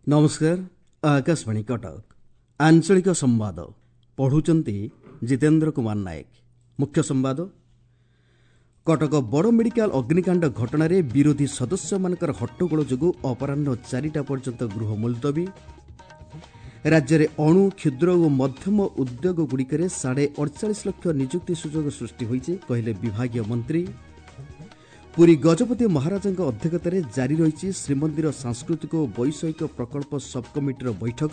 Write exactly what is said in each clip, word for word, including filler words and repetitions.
ନମସ୍କାର, ଆକାଶବାଣୀ କଟକ, ଆଞ୍ଚଳିକ ସମ୍ବାଦ ପଢ଼ୁଛନ୍ତି ଜିତେନ୍ଦ୍ର କୁମାର ନାୟକ। ମୁଖ୍ୟ ସମ୍ବାଦ। କଟକ ବଡ଼ ମେଡିକାଲ ଅଗ୍ନିକାଣ୍ଡ ଘଟଣାରେ ବିରୋଧୀ ସଦସ୍ୟମାନଙ୍କର ହଟ୍ଟଗୋଳ ଯୋଗୁଁ ଅପରାହ୍ନ ଚାରିଟା ପର୍ଯ୍ୟନ୍ତ ଗୃହ ମୁଲତବୀ। ରାଜ୍ୟରେ ଅଣୁ, କ୍ଷୁଦ୍ର ଓ ମଧ୍ୟମ ଉଦ୍ୟୋଗଗୁଡ଼ିକରେ ସାଢ଼େ ଅଡ଼ଚାଳିଶ ଲକ୍ଷ ନିଯୁକ୍ତି ସୁଯୋଗ ସୃଷ୍ଟି ହୋଇଛି, କହିଲେ ବିଭାଗୀୟ ମନ୍ତ୍ରୀ। ପୁରୀ ଗଜପତି ମହାରାଜାଙ୍କ ଅଧ୍ୟକ୍ଷତାରେ ଜାରି ରହିଛି ଶ୍ରୀମନ୍ଦିର ସାଂସ୍କୃତିକ ଓ ବୈଷୟିକ ପ୍ରକଳ୍ପ ସବ୍କମିଟିର ବୈଠକ।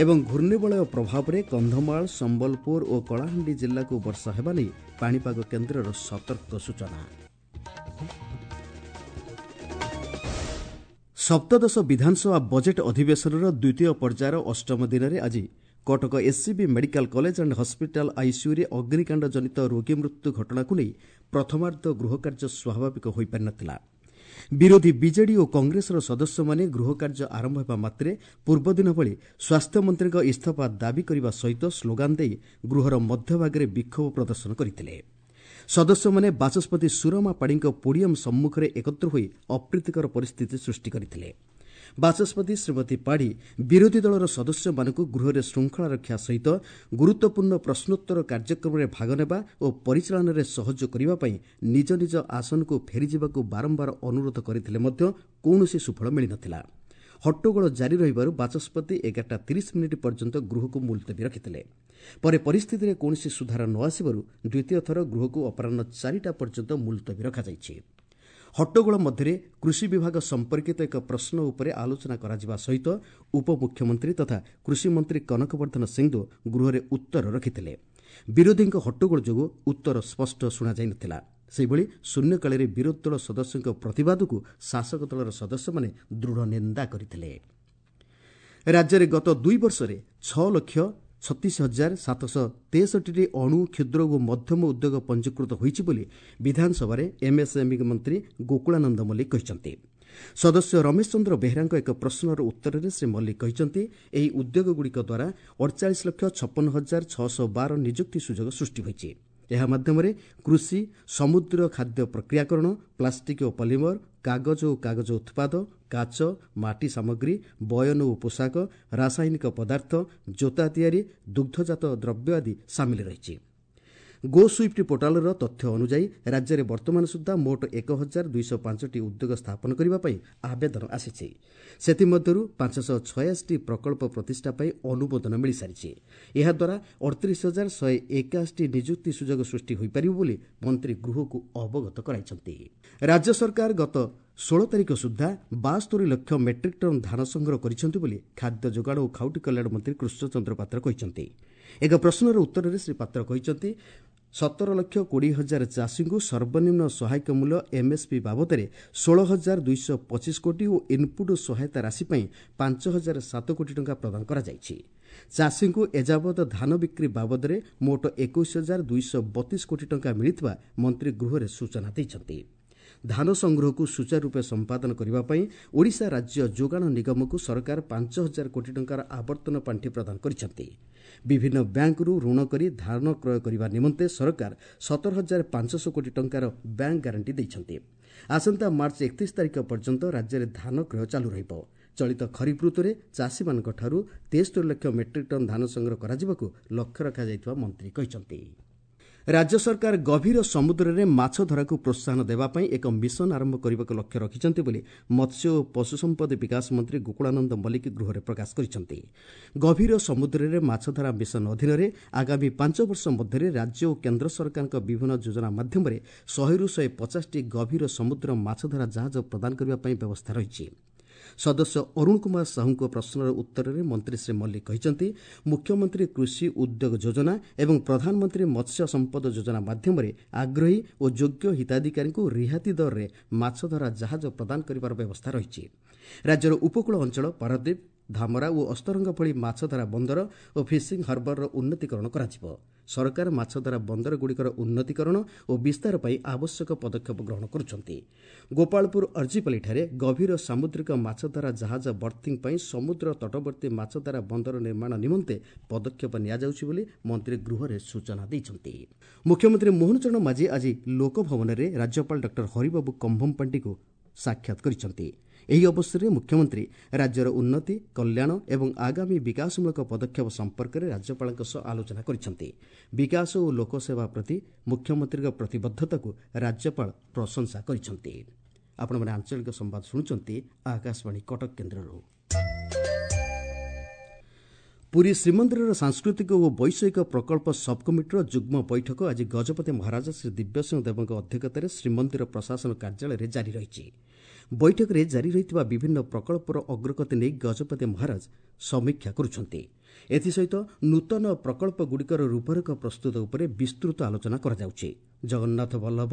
ଏବଂ ଘୂର୍ଣ୍ଣିବଳୟ ପ୍ରଭାବରେ କନ୍ଧମାଳ, ସମ୍ବଲପୁର ଓ କଳାହାଣ୍ଡି ଜିଲ୍ଲାକୁ ବର୍ଷା ହେବା ନେଇ ପାଣିପାଗ କେନ୍ଦ୍ରର ସତର୍କ ସୂଚନା। ସପ୍ତଦଶ ବିଧାନସଭା ବଜେଟ୍ ଅଧିବେଶନର ଦ୍ୱିତୀୟ ପର୍ଯ୍ୟାୟର ଅଷ୍ଟମ ଦିନରେ ଆଜି Cuttack SCB medical college and hospital ଆଇସିୟୁରେ ଅଗ୍ନିକାଣ୍ଡ ଜନିତ ରୋଗୀ ମୃତ୍ୟୁ ଘଟଣାକୁ ନେଇ ପ୍ରଥମାର୍ଦ୍ଧ ଗୃହକାର୍ଯ୍ୟ ସ୍ୱାଭାବିକ ହୋଇପାରିନଥିଲା। ବିରୋଧୀ ବିଜେଡି ଓ କଂଗ୍ରେସର ସଦସ୍ୟମାନେ ଗୃହକାର୍ଯ୍ୟ ଆରମ୍ଭ ହେବା ମାତ୍ରେ ପୂର୍ବଦିନ ଭଳି ସ୍ୱାସ୍ଥ୍ୟମନ୍ତ୍ରୀଙ୍କ ଇସ୍ତଫା ଦାବି କରିବା ସହିତ ସ୍ଲୋଗାନ ଦେଇ ଗୃହର ମଧ୍ୟଭାଗରେ ବିକ୍ଷୋଭ ପ୍ରଦର୍ଶନ କରିଥିଲେ। ସଦସ୍ୟମାନେ ବାଚସ୍ପତି ସୁରମା ପାଢ଼ୀଙ୍କ ପୋଡିୟମ୍ ସମ୍ମୁଖରେ ଏକତ୍ର ହୋଇ ଅପ୍ରୀତିକର ପରିସ୍ଥିତି ସୃଷ୍ଟି କରିଥିଲେ। ବାଚସ୍ପତି ଶ୍ରୀମତୀ ପାଢ଼ୀ ବିରୋଧୀ ଦଳର ସଦସ୍ୟମାନଙ୍କୁ ଗୃହରେ ଶୃଙ୍ଖଳା ରକ୍ଷା ସହିତ ଗୁରୁତ୍ୱପୂର୍ଣ୍ଣ ପ୍ରଶ୍ନୋତ୍ତର କାର୍ଯ୍ୟକ୍ରମରେ ଭାଗ ନେବା ଓ ପରିଚାଳନାରେ ସହଯୋଗ କରିବା ପାଇଁ ନିଜ ନିଜ ଆସନକୁ ଫେରିଯିବାକୁ ବାରମ୍ବାର ଅନୁରୋଧ କରିଥିଲେ ମଧ୍ୟ କୌଣସି ସୁଫଳ ମିଳିନଥିଲା। ହଟ୍ଟଗୋଳ ଜାରି ରହିବାରୁ ବାଚସ୍ପତି ଏଗାରଟା ତିରିଶ ମିନିଟ୍ ପର୍ଯ୍ୟନ୍ତ ଗୃହକୁ ମୁଲତବୀ ରଖିଥିଲେ। ପରେ ପରିସ୍ଥିତିରେ କୌଣସି ସୁଧାର ନ ଆସିବାରୁ ଦ୍ୱିତୀୟ ଥର ଗୃହକୁ ଅପରାହ୍ନ ଚାରିଟା ପର୍ଯ୍ୟନ୍ତ ମୁଲତବୀ ରଖାଯାଇଛି। ହଟ୍ଟଗୋଳ ମଧ୍ୟରେ କୃଷି ବିଭାଗ ସମ୍ପର୍କିତ ଏକ ପ୍ରଶ୍ନ ଉପରେ ଆଲୋଚନା କରାଯିବା ସହିତ ଉପମୁଖ୍ୟମନ୍ତ୍ରୀ ତଥା କୃଷିମନ୍ତ୍ରୀ କନକବର୍ଦ୍ଧନ ସିଂଦେଓ ଗୃହରେ ଉତ୍ତର ରଖିଥିଲେ। ବିରୋଧୀଙ୍କ ହଟ୍ଟଗୋଳ ଯୋଗୁଁ ଉତ୍ତର ସ୍ପଷ୍ଟ ଶୁଣାଯାଇନଥିଲା। ସେହିଭଳି ଶୂନ୍ୟକାଳରେ ବିରୋଧୀ ଦଳ ସଦସ୍ୟଙ୍କ ପ୍ରତିବାଦକୁ ଶାସକ ଦଳର ସଦସ୍ୟମାନେ ଦୃଢ଼ ନିନ୍ଦା କରିଥିଲେ। ରାଜ୍ୟରେ ଗତ ଦୁଇ ବର୍ଷରେ ଛଅ ଲକ୍ଷ ଛତିଶ ହଜାର ସାତଶହ ତେଷଠିଟି ଅଣୁ, କ୍ଷୁଦ୍ର ଓ ମଧ୍ୟମ ଉଦ୍ୟୋଗ ପଞ୍ଜୀକୃତ ହୋଇଛି ବୋଲି ବିଧାନସଭାରେ ଏମ୍ଏସ୍ଏମ୍ଇ ମନ୍ତ୍ରୀ ଗୋକୁଳାନନ୍ଦ ମଲ୍ଲିକ କହିଛନ୍ତି। ସଦସ୍ୟ ରମେଶ ଚନ୍ଦ୍ର ବେହେରାଙ୍କ ଏକ ପ୍ରଶ୍ନର ଉତ୍ତରରେ ଶ୍ରୀ ମଲ୍ଲିକ କହିଛନ୍ତି, ଏହି ଉଦ୍ୟୋଗଗୁଡ଼ିକ ଦ୍ୱାରା ଅଡ଼ଚାଳିଶ ଲକ୍ଷ ଛପନ ହଜାର ଛଅଶହ ବାର ନିଯୁକ୍ତି ସୁଯୋଗ ସୃଷ୍ଟି ହୋଇଛି। ଏହା ମାଧ୍ୟମରେ କୃଷି, ସମୁଦ୍ର ଖାଦ୍ୟ ପ୍ରକ୍ରିୟାକରଣ, ପ୍ଲାଷ୍ଟିକ୍ ଓ ପଲିମର, କାଗଜ ଓ କାଗଜ ଉତ୍ପାଦ, କାଚ, ମାଟି ସାମଗ୍ରୀ, ବୟନ ଓ ପୋଷାକ, ରାସାୟନିକ ପଦାର୍ଥ, ଜୋତା ତିଆରି, ଦୁଗ୍ଧଜାତ ଦ୍ରବ୍ୟ ଆଦି ସାମିଲ ରହିଛି। ଗୋ ସୁଇଫ୍ଟ ପୋର୍ଟାଲର ତଥ୍ୟ ଅନୁଯାୟୀ ରାଜ୍ୟରେ ବର୍ତ୍ତମାନ ସୁଦ୍ଧା ମୋଟ ଏକ ହଜାର ଦୁଇଶହ ପାଞ୍ଚଟି ଉଦ୍ୟୋଗ ସ୍ଥାପନ କରିବା ପାଇଁ ଆବେଦନ ଆସିଛି। ସେଥିମଧ୍ୟରୁ ପାଞ୍ଚଶହ ଛୟାଅଶୀଟି ପ୍ରକଳ୍ପ ପ୍ରତିଷ୍ଠା ପାଇଁ ଅନୁମୋଦନ ମିଳିସାରିଛି। ଏହାଦ୍ୱାରା ଅଠତିରିଶ ହଜାର ଶହେ ଏକାଅଶୀଟି ନିଯୁକ୍ତି ସୁଯୋଗ ସୃଷ୍ଟି ହୋଇପାରିବ ବୋଲି ମନ୍ତ୍ରୀ ଗୃହକୁ ଅବଗତ କରାଇଛନ୍ତି। ରାଜ୍ୟ ସରକାର ଗତ ଷୋହଳ ତାରିଖ ସୁଦ୍ଧା ବାସ୍ତୋରି ଲକ୍ଷ ମେଟ୍ରିକ୍ ଟନ୍ ଧାନ ସଂଗ୍ରହ କରିଛନ୍ତି ବୋଲି ଖାଦ୍ୟ ଯୋଗାଣ ଓ ଖାଉଟି କଲ୍ୟାଣ ମନ୍ତ୍ରୀ କୃଷ୍ଣଚନ୍ଦ୍ର ପାତ୍ର କହିଛନ୍ତି। ଏକ ପ୍ରଶ୍ନର ଉତ୍ତରରେ ଶ୍ରୀ ପାତ୍ର କହିଛନ୍ତି, ସତର ଲକ୍ଷ କୋଡ଼ିଏ ହଜାର ଚାଷୀଙ୍କୁ ସର୍ବନିମ୍ନ ସହାୟକ ମୂଲ୍ୟ ଏମ୍ଏସ୍ପି ବାବଦରେ ଷୋହଳ ହଜାର ଦୁଇଶହ ପଚିଶ କୋଟି ଓ ଇନ୍ପୁଟ୍ ସହାୟତା ରାଶି ପାଇଁ ପାଞ୍ଚ ହଜାର ସାତ କୋଟି ଟଙ୍କା ପ୍ରଦାନ କରାଯାଇଛି। ଚାଷୀଙ୍କୁ ଏଯାବତ ଧାନ ବିକ୍ରି ବାବଦରେ ମୋଟ ଏକୋଇଶ ହଜାର ଦୁଇଶହ ବତିଶ କୋଟି ଟଙ୍କା ମିଳିଥିବା ମନ୍ତ୍ରୀ ଗୃହରେ ସୂଚନା ଦେଇଛନ୍ତି। ଧାନ ସଂଗ୍ରହକୁ ସୁଚାରୁରୂପେ ସମ୍ପାଦନ କରିବା ପାଇଁ ଓଡ଼ିଶା ରାଜ୍ୟ ଯୋଗାଣ ନିଗମକୁ ସରକାର ପାଞ୍ଚ ହଜାର କୋଟି ଟଙ୍କାର ଆବର୍ତ୍ତନ ପାଣ୍ଠି ପ୍ରଦାନ କରିଛନ୍ତି। ବିଭିନ୍ନ ବ୍ୟାଙ୍କରୁ ଋଣ କରି ଧାନ କ୍ରୟ କରିବା ନିମନ୍ତେ ସରକାର ସତର ହଜାର ପାଞ୍ଚଶହ କୋଟି ଟଙ୍କାର ବ୍ୟାଙ୍କ ଗ୍ୟାରେଣ୍ଟି ଦେଇଛନ୍ତି। ଆସନ୍ତା ମାର୍ଚ୍ଚ ଏକତିରିଶ ତାରିଖ ପର୍ଯ୍ୟନ୍ତ ରାଜ୍ୟରେ ଧାନ କ୍ରୟ ଚାଲୁ ରହିବ। ଚଳିତ ଖରିଫ ଋତୁରେ ଚାଷୀମାନଙ୍କଠାରୁ ତେସ୍ତରି ଲକ୍ଷ ମେଟ୍ରିକ୍ ଟନ୍ ଧାନ ସଂଗ୍ରହ କରାଯିବାକୁ ଲକ୍ଷ୍ୟ ରଖାଯାଇଥିବା ମନ୍ତ୍ରୀ କହିଛନ୍ତି। ରାଜ୍ୟ ସରକାର ଗଭୀର ସମୁଦ୍ରରେ ମାଛଧରାକୁ ପ୍ରୋତ୍ସାହନ ଦେବା ପାଇଁ ଏକ ମିଶନ ଆରମ୍ଭ କରିବାକୁ ଲକ୍ଷ୍ୟ ରଖିଛନ୍ତି ବୋଲି ମତ୍ସ୍ୟ ଓ ପଶୁସମ୍ପଦ ବିକାଶ ମନ୍ତ୍ରୀ ଗୋକୁଳାନନ୍ଦ ମଲ୍ଲିକ ଗୃହରେ ପ୍ରକାଶ କରିଛନ୍ତି। ଗଭୀର ସମୁଦ୍ରରେ ମାଛଧରା ମିଶନ ଅଧୀନରେ ଆଗାମୀ ପାଞ୍ଚ ବର୍ଷ ମଧ୍ୟରେ ରାଜ୍ୟ ଓ କେନ୍ଦ୍ର ସରକାରଙ୍କ ବିଭିନ୍ନ ଯୋଜନା ମାଧ୍ୟମରେ ଶହେରୁ ଶହେ ପଚାଶଟି ଗଭୀର ସମୁଦ୍ର ମାଛଧରା ଜାହାଜ ପ୍ରଦାନ କରିବା ପାଇଁ ବ୍ୟବସ୍ଥା ରହିଛି। ସଦସ୍ୟ ଅରୁଣ କୁମାର ସାହୁଙ୍କ ପ୍ରଶ୍ନର ଉତ୍ତରରେ ମନ୍ତ୍ରୀ ଶ୍ରୀ ମଲ୍ଲିକ କହିଛନ୍ତି, ମୁଖ୍ୟମନ୍ତ୍ରୀ କୃଷି ଉଦ୍ୟୋଗ ଯୋଜନା ଏବଂ ପ୍ରଧାନମନ୍ତ୍ରୀ ମତ୍ସ୍ୟ ସମ୍ପଦ ଯୋଜନା ମାଧ୍ୟମରେ ଆଗ୍ରହୀ ଓ ଯୋଗ୍ୟ ହିତାଧିକାରୀଙ୍କୁ ରିହାତି ଦରରେ ମାଛଧରା ଜାହାଜ ପ୍ରଦାନ କରିବାର ବ୍ୟବସ୍ଥା ରହିଛି। ରାଜ୍ୟର ଉପକୂଳ ଅଞ୍ଚଳ ପାରାଦୀପ, ଧାମରା ଓ ଅସ୍ତରଙ୍ଗ ଭଳି ମାଛଧରା ବନ୍ଦର ଓ ଫିସିଂ ହାର୍ବରର ଉନ୍ନତିକରଣ କରାଯିବ। ସରକାର ମାଛଧରା ବନ୍ଦରଗୁଡ଼ିକର ଉନ୍ନତିକରଣ ଓ ବିସ୍ତାର ପାଇଁ ଆବଶ୍ୟକ ପଦକ୍ଷେପ ଗ୍ରହଣ କରୁଛନ୍ତି। ଗୋପାଳପୁର ଅର୍ଜିପାଲିଠାରେ ଗଭୀର ସାମୁଦ୍ରିକ ମାଛଧରା ଜାହାଜ ବର୍ଥିଂ ପାଇଁ ସମୁଦ୍ର ତଟବର୍ତ୍ତୀ ମାଛଧରା ବନ୍ଦର ନିର୍ମାଣ ନିମନ୍ତେ ପଦକ୍ଷେପ ନିଆଯାଉଛି ବୋଲି ମନ୍ତ୍ରୀ ଗୃହରେ ସୂଚନା ଦେଇଛନ୍ତି। ମୁଖ୍ୟମନ୍ତ୍ରୀ ମୋହନ ଚରଣ ମାଝୀ ଆଜି ଲୋକଭବନରେ ରାଜ୍ୟପାଳ ଡକ୍ଟର ହରିବାବୁ କମ୍ଭମପାଣ୍ଡିଙ୍କୁ ସାକ୍ଷାତ କରିଛନ୍ତି। ଏହି ଅବସରରେ ମୁଖ୍ୟମନ୍ତ୍ରୀ ରାଜ୍ୟର ଉନ୍ନତି, କଲ୍ୟାଣ ଏବଂ ଆଗାମୀ ବିକାଶମୂଳକ ପଦକ୍ଷେପ ସମ୍ପର୍କରେ ରାଜ୍ୟପାଳଙ୍କ ସହ ଆଲୋଚନା କରିଛନ୍ତି। ବିକାଶ ଓ ଲୋକସେବା ପ୍ରତି ମୁଖ୍ୟମନ୍ତ୍ରୀଙ୍କ ପ୍ରତିବଦ୍ଧତାକୁ ରାଜ୍ୟପାଳ ପ୍ରଶଂସା କରିଛନ୍ତି। ଆପଣମାନେ ଆଞ୍ଚଳିକ ସମ୍ବାଦ ଶୁଣୁଛନ୍ତି ଆକାଶବାଣୀ କଟକ କେନ୍ଦ୍ରରୁ। ପୁରୀ ଶ୍ରୀମନ୍ଦିରର ସାଂସ୍କୃତିକ ଓ ବୈଷୟିକ ପ୍ରକଳ୍ପ ସବ୍କମିଟିର ଯୁଗ୍ମ ବୈଠକ ଆଜି ଗଜପତି ମହାରାଜା ଶ୍ରୀ ଦିବ୍ୟସିଂହ ଦେବଙ୍କ ଅଧ୍ୟକ୍ଷତାରେ ଶ୍ରୀମନ୍ଦିର ପ୍ରଶାସନ କାର୍ଯ୍ୟାଳୟରେ ଜାରି ରହିଛି। ବୈଠକରେ ଜାରି ରହିଥିବା ବିଭିନ୍ନ ପ୍ରକଳ୍ପର ଅଗ୍ରଗତି ନେଇ ଗଜପତି ମହାରାଜ ସମୀକ୍ଷା କରୁଛନ୍ତି। ଏଥିସହିତ ନୂତନ ପ୍ରକଳ୍ପଗୁଡ଼ିକର ରୂପରେଖ ପ୍ରସ୍ତୁତ ଉପରେ ବିସ୍ତୃତ ଆଲୋଚନା କରାଯାଉଛି। ଜଗନ୍ନାଥ ବଲ୍ଲଭ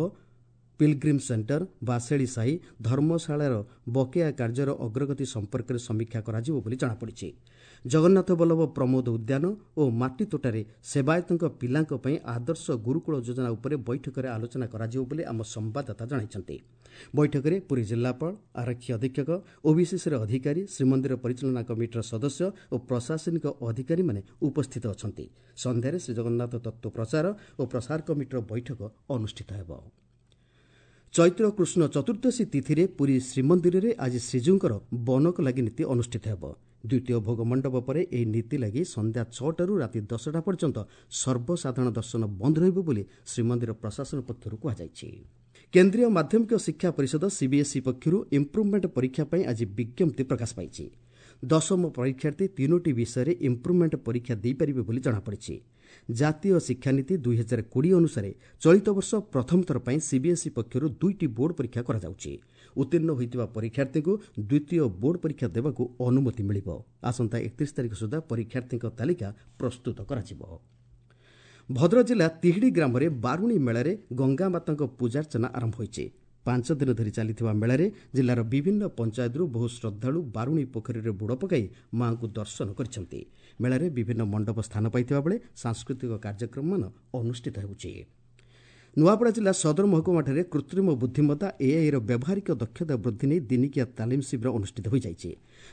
ପିଲଗ୍ରିମ୍ ସେଣ୍ଟର, ବାସେଳି ସାହି, ଧର୍ମଶାଳାର ବକେୟା କାର୍ଯ୍ୟର ଅଗ୍ରଗତି ସମ୍ପର୍କରେ ସମୀକ୍ଷା କରାଯିବ ବୋଲି ଜଣାପଡ଼ିଛି। ଜଗନ୍ନାଥ ବଲ୍ଲଭ ପ୍ରମୋଦ ଉଦ୍ୟାନ ଓ ମାଟିତୋଟାରେ ସେବାୟତଙ୍କ ପିଲାଙ୍କ ପାଇଁ ଆଦର୍ଶ ଗୁରୁକୁଳ ଯୋଜନା ଉପରେ ବୈଠକରେ ଆଲୋଚନା କରାଯିବ ବୋଲି ଆମ ସମ୍ବାଦଦାତା ଜଣାଇଛନ୍ତି। ବୈଠକରେ ପୁରୀ ଜିଲ୍ଲାପାଳ, ଆରକ୍ଷୀ ଅଧୀକ୍ଷକ, ଓବିସିସିର ଅଧିକାରୀ, ଶ୍ରୀମନ୍ଦିର ପରିଚାଳନା କମିଟିର ସଦସ୍ୟ ଓ ପ୍ରଶାସନିକ ଅଧିକାରୀମାନେ ଉପସ୍ଥିତ ଅଛନ୍ତି। ସନ୍ଧ୍ୟାରେ ଶ୍ରୀଜଗନ୍ନାଥ ତତ୍ତ୍ୱ ପ୍ରଚାର ଓ ପ୍ରସାର କମିଟିର ବୈଠକ ଅନୁଷ୍ଠିତ ହେବ। ଚୈତ୍ର କୃଷ୍ଣ ଚତୁର୍ଦ୍ଦଶୀ ତିଥିରେ ପୁରୀ ଶ୍ରୀମନ୍ଦିରରେ ଆଜି ଶ୍ରୀଜୀଉଙ୍କର ବନକ ଲାଗି ନୀତି ଅନୁଷ୍ଠିତ ହେବ। ଦ୍ୱିତୀୟ ଭୋଗ ମଣ୍ଡପ ପରେ ଏହି ନୀତି ଲାଗି ସନ୍ଧ୍ୟା ଛଅଟାରୁ ରାତି ଦଶଟା ପର୍ଯ୍ୟନ୍ତ ସର୍ବସାଧାରଣ ଦର୍ଶନ ବନ୍ଦ ରହିବ ବୋଲି ଶ୍ରୀମନ୍ଦିର ପ୍ରଶାସନ ପକ୍ଷରୁ କୁହାଯାଇଛି। କେନ୍ଦ୍ରୀୟ ମାଧ୍ୟମିକ ଶିକ୍ଷା ପରିଷଦ ସିବିଏସ୍ଇ ପକ୍ଷରୁ ଇମ୍ପ୍ରୁଭମେଣ୍ଟ ପରୀକ୍ଷା ପାଇଁ ଆଜି ବିଜ୍ଞପ୍ତି ପ୍ରକାଶ ପାଇଛି। ଦଶମ ପରୀକ୍ଷାର୍ଥୀ ତିନୋଟି ବିଷୟରେ ଇମ୍ପ୍ରୁଭମେଣ୍ଟ ପରୀକ୍ଷା ଦେଇପାରିବେ ବୋଲି ଜଣାପଡ଼ିଛି। ଜାତୀୟ ଶିକ୍ଷାନୀତି ଦୁଇ ହଜାର କୋଡ଼ିଏ ଅନୁସାରେ ଚଳିତ ବର୍ଷ ପ୍ରଥମ ଥର ପାଇଁ ସିବିଏସ୍ଇ ପକ୍ଷରୁ ଦୁଇଟି ବୋର୍ଡ ପରୀକ୍ଷା କରାଯାଉଛି। ଉତ୍ତୀର୍ଣ୍ଣ ହୋଇଥିବା ପରୀକ୍ଷାର୍ଥୀଙ୍କୁ ଦ୍ୱିତୀୟ ବୋର୍ଡ ପରୀକ୍ଷା ଦେବାକୁ ଅନୁମତି ମିଳିବ। ଆସନ୍ତା ଏକତିରିଶ ତାରିଖ ସୁଦ୍ଧା ପରୀକ୍ଷାର୍ଥୀଙ୍କ ତାଲିକା ପ୍ରସ୍ତୁତ କରାଯିବ। ଭଦ୍ରକ ଜିଲ୍ଲା ତିହିଡ଼ି ଗ୍ରାମରେ ବାରୁଣୀ ମେଳାରେ ଗଙ୍ଗାମାତାଙ୍କ ପୂଜାର୍ଚ୍ଚନା ଆରମ୍ଭ ହୋଇଛି। ପାଞ୍ଚ ଦିନ ଧରି ଚାଲିଥିବା ମେଳାରେ ଜିଲ୍ଲାର ବିଭିନ୍ନ ପଞ୍ଚାୟତରୁ ବହୁ ଶ୍ରଦ୍ଧାଳୁ ବାରୁଣୀ ପୋଖରୀରେ ବୁଡ଼ ପକାଇ ମା'ଙ୍କୁ ଦର୍ଶନ କରିଛନ୍ତି। ମେଳାରେ ବିଭିନ୍ନ ମଣ୍ଡପ ସ୍ଥାନ ପାଇଥିବା ବେଳେ ସାଂସ୍କୃତିକ କାର୍ଯ୍ୟକ୍ରମମାନ ଅନୁଷ୍ଠିତ ହେଉଛି। ନୂଆପଡ଼ା ଜିଲ୍ଲା ସଦର ମହକୁମାଠାରେ କୃତ୍ରିମ ବୁଦ୍ଧିମତ୍ତା ଏଆଇର ବ୍ୟବହାରିକ ଦକ୍ଷତା ବୃଦ୍ଧି ନେଇ ଦିନିକିଆ ତାଲିମ ଶିବିର ଅନୁଷ୍ଠିତ ହୋଇଯାଇଛି।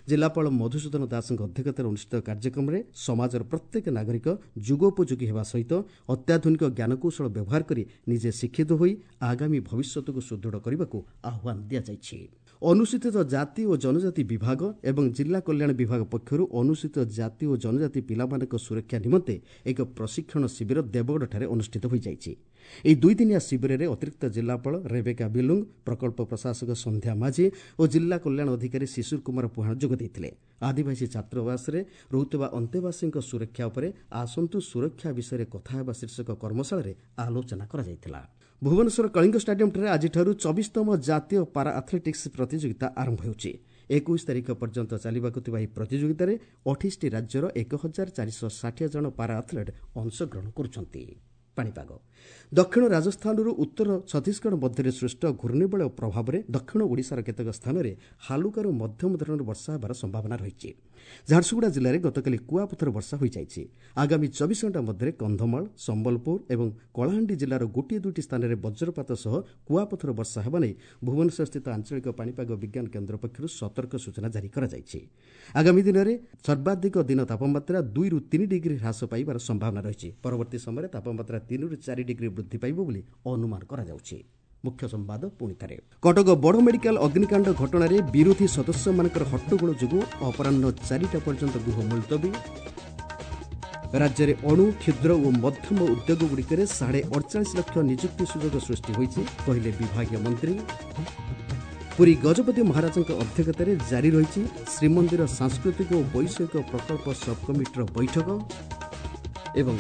ଜିଲ୍ଲାପାଳ ମଧୁସୂଦନ ଦାସଙ୍କ ଅଧ୍ୟକ୍ଷତାରେ ଅନୁଷ୍ଠିତ କାର୍ଯ୍ୟକ୍ରମରେ ସମାଜର ପ୍ରତ୍ୟେକ ନାଗରିକ ଯୁଗୋପଯୋଗୀ ହେବା ସହିତ ଅତ୍ୟାଧୁନିକ ଜ୍ଞାନକୌଶଳ ବ୍ୟବହାର କରି ନିଜେ ଶିକ୍ଷିତ ହୋଇ ଆଗାମୀ ଭବିଷ୍ୟତକୁ ସୁଦୃଢ଼ କରିବାକୁ ଆହ୍ୱାନ ଦିଆଯାଇଛି। ଅନୁସୂଚିତ ଜାତି ଓ ଜନଜାତି ବିଭାଗ ଏବଂ ଜିଲ୍ଲା କଲ୍ୟାଣ ବିଭାଗ ପକ୍ଷରୁ ଅନୁସୂଚିତ ଜାତି ଓ ଜନଜାତି ପିଲାମାନଙ୍କ ସୁରକ୍ଷା ନିମନ୍ତେ ଏକ ପ୍ରଶିକ୍ଷଣ ଶିବିର ଦେବଗଡ଼ଠାରେ ଅନୁଷ୍ଠିତ ହୋଇଯାଇଛି। ଏହି ଦୁଇଦିନିଆ ଶିବିରରେ ଅତିରିକ୍ତ ଜିଲ୍ଲାପାଳ ରେବେକା ବିଲୁଙ୍ଗ, ପ୍ରକଳ୍ପ ପ୍ରଶାସକ ସନ୍ଧ୍ୟା ମାଝୀ ଓ ଜିଲ୍ଲା କଲ୍ୟାଣ ଅଧିକାରୀ ଶିଶୁର କୁମାର ପୁହାଣ ଯୋଗ ଦେଇଥିଲେ। ଆଦିବାସୀ ଛାତ୍ରାବାସରେ ରହୁଥିବା ଅନ୍ତେବାସୀଙ୍କ ସୁରକ୍ଷା ଉପରେ ଆସନ୍ତୁ ସୁରକ୍ଷା ବିଷୟରେ କଥା ହେବା ଶୀର୍ଷକ କର୍ମଶାଳାରେ ଆଲୋଚନା କରାଯାଇଥିଲା। ଭୁବନେଶ୍ୱର କଳିଙ୍ଗ ଷ୍ଟାଡିୟମ୍ଠାରେ ଆଜିଠାରୁ ଚବିଶତମ ଜାତୀୟ ପାରା ଆଥଲେଟିକ୍ସ ପ୍ରତିଯୋଗିତା ଆରମ୍ଭ ହେଉଛି। ଏକୋଇଶ ତାରିଖ ପର୍ଯ୍ୟନ୍ତ ଚାଲିବାକୁ ଥିବା ଏହି ପ୍ରତିଯୋଗିତାରେ ଅଠେଇଶଟି ରାଜ୍ୟର ଏକ ହଜାର ଚାରିଶହ ଷାଠିଏ ଜଣ ପାରା ଆଥଲେଟ୍ ଅଂଶଗ୍ରହଣ କରୁଛନ୍ତି। ପାଣିପାଗ ଦକ୍ଷିଣ ରାଜସ୍ଥାନରୁ ଉତ୍ତର ଛତିଶଗଡ଼ ମଧ୍ୟରେ ସୃଷ୍ଟ ଘୂର୍ଣ୍ଣିବଳୟ ପ୍ରଭାବରେ ଦକ୍ଷିଣ ଓଡ଼ିଶାର କେତେକ ସ୍ଥାନରେ ହାଲୁକାରୁ ମଧ୍ୟମ ଧରଣର ବର୍ଷା ହେବାର ସମ୍ଭାବନା ରହିଛି। ଝାରସୁଗୁଡ଼ା ଜିଲ୍ଲାରେ ଗତକାଲି କୁଆପଥର ବର୍ଷା ହୋଇଯାଇଛି। ଆଗାମୀ ଚବିଶ ଘଣ୍ଟା ମଧ୍ୟରେ କନ୍ଧମାଳ, ସମ୍ବଲପୁର ଏବଂ କଳାହାଣ୍ଡି ଜିଲ୍ଲାର ଗୋଟିଏ ଦୁଇଟି ସ୍ଥାନରେ ବଜ୍ରପାତ ସହ କୁଆପଥର ବର୍ଷା ହେବା ନେଇ ଭୁବନେଶ୍ୱରସ୍ଥିତ ଆଞ୍ଚଳିକ ପାଣିପାଗ ବିଜ୍ଞାନ କେନ୍ଦ୍ର ପକ୍ଷରୁ ସତର୍କ ସୂଚନା ଜାରି କରାଯାଇଛି। ଆଗାମୀ ଦିନରେ ସର୍ବାଧିକ ଦିନ ତାପମାତ୍ରା ଦୁଇରୁ ତିନି ଡିଗ୍ରୀ ହ୍ରାସ ପାଇବାର ସମ୍ଭାବନା ରହିଛି। ପରବର୍ତ୍ତୀ ସମୟରେ ତାପମାତ୍ରା ତିନିରୁ ଚାରି ଡିଗ୍ରୀ ବୃଦ୍ଧି ପାଇବ ବୋଲି ଅନୁମାନ କରାଯାଉଛି। ମୁଖ୍ୟ ସମ୍ବାଦ ପୁଣି ଥରେ। କଟକ ବଡ଼ ମେଡିକାଲ ଅଗ୍ନିକାଣ୍ଡ ଘଟଣାରେ ବିରୋଧୀ ସଦସ୍ୟମାନଙ୍କର ହଟ୍ଟଗୋଳ ଯୋଗୁଁ ଅପରାହ୍ନ ଚାରିଟା ପର୍ଯ୍ୟନ୍ତ ଗୃହ ମୁଲତବୀ। ରାଜ୍ୟରେ ଅଣୁ, କ୍ଷୁଦ୍ର ଓ ମଧ୍ୟମ ଉଦ୍ୟୋଗଗୁଡ଼ିକରେ ସାଢ଼େ ଅଡ଼ଚାଳିଶ ଲକ୍ଷ ନିଯୁକ୍ତି ସୁଯୋଗ ସୃଷ୍ଟି ହୋଇଛି, କହିଲେ ବିଭାଗୀୟ ମନ୍ତ୍ରୀ। ପୁରୀ ଗଜପତି ମହାରାଜଙ୍କ ଅଧ୍ୟକ୍ଷତାରେ ଜାରି ରହିଛି ଶ୍ରୀମନ୍ଦିର ସାଂସ୍କୃତିକ ଓ ବୈଷୟିକ ପ୍ରକଳ୍ପ ସବ୍ କମିଟିର ବୈଠକ। ଏବଂ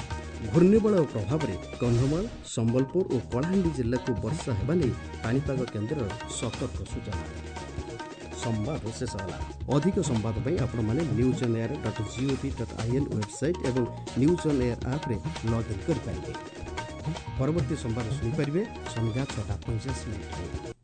ଘୂର୍ଣ୍ଣିବଳୟ ପ୍ରଭାବରେ କନ୍ଧମାଳ, ସମ୍ବଲପୁର ଓ କଳାହାଣ୍ଡି ଜିଲ୍ଲାକୁ ବର୍ଷା ହେବା ନେଇ ପାଣିପାଗ କେନ୍ଦ୍ରର ସତର୍କ ସୂଚନା। ସମ୍ବାଦ ଶେଷ ହେଲା। ଅଧିକ ସମ୍ବାଦ ପାଇଁ ଆପଣମାନେ news on air dot gov dot in website ଏବଂ ନ୍ୟୁଜ୍ ଅନ୍ ଏୟାର ଆପ୍ରେ ଲଗ୍ଇନ୍ କରିପାରିବେ। ପରବର୍ତ୍ତୀ ସମ୍ବାଦ ଶୁଣିପାରିବେ ସନ୍ଧ୍ୟା ଛଅଟା ପଇଁଚାଳିଶ ମିନିଟ୍ରେ।